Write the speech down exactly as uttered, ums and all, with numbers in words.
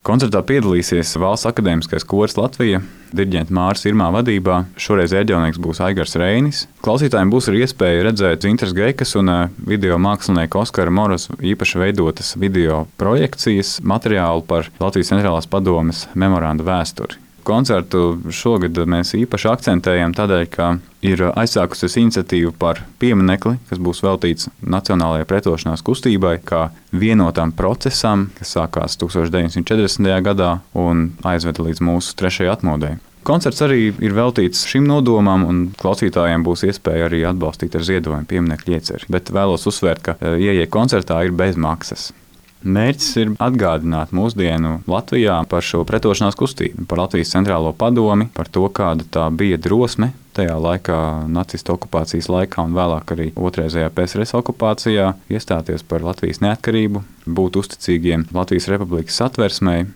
Koncertā piedalīsies Valsts akadēmiskais koris Latvija, diriģenta Māris Irmā vadībā. Šoreiz ērģelnieks būs Aigars Reinis. Klausītājiem būs arī iespēja redzēt Zintas Geikas un video mākslinieka Oskara Moroza īpaši veidotas video projekcijas materiālu par Latvijas Centrālās padomes memoranda vēsturi. Koncertu šogad mēs īpaši akcentējam tādēļ, ka ir aizsākusies iniciatīva par pieminekli, kas būs veltīts Nacionālajai pretošanās kustībai, kā vienotam procesam, kas sākās tūkstoš deviņsimt četrdesmitajā gadā un aizveda līdz mūsu trešajai atmodei. Koncerts arī ir veltīts šim nodomam, un klausītājiem būs iespēja arī atbalstīt ar ziedojumu pieminekļa ieceri. Bet vēlos uzsvērt, ka ieeja koncertā ir bez maksas. Mērķis ir atgādināt mūsdienu Latvijā par šo pretošanās kustību, par Latvijas Centrālo padomi, par to, kāda tā bija drosme tajā laikā, nacistu okupācijas laikā un vēlāk arī otrreizējā P S R S okupācijā, iestāties par Latvijas neatkarību, būt uzticīgiem Latvijas Republikas satversmei.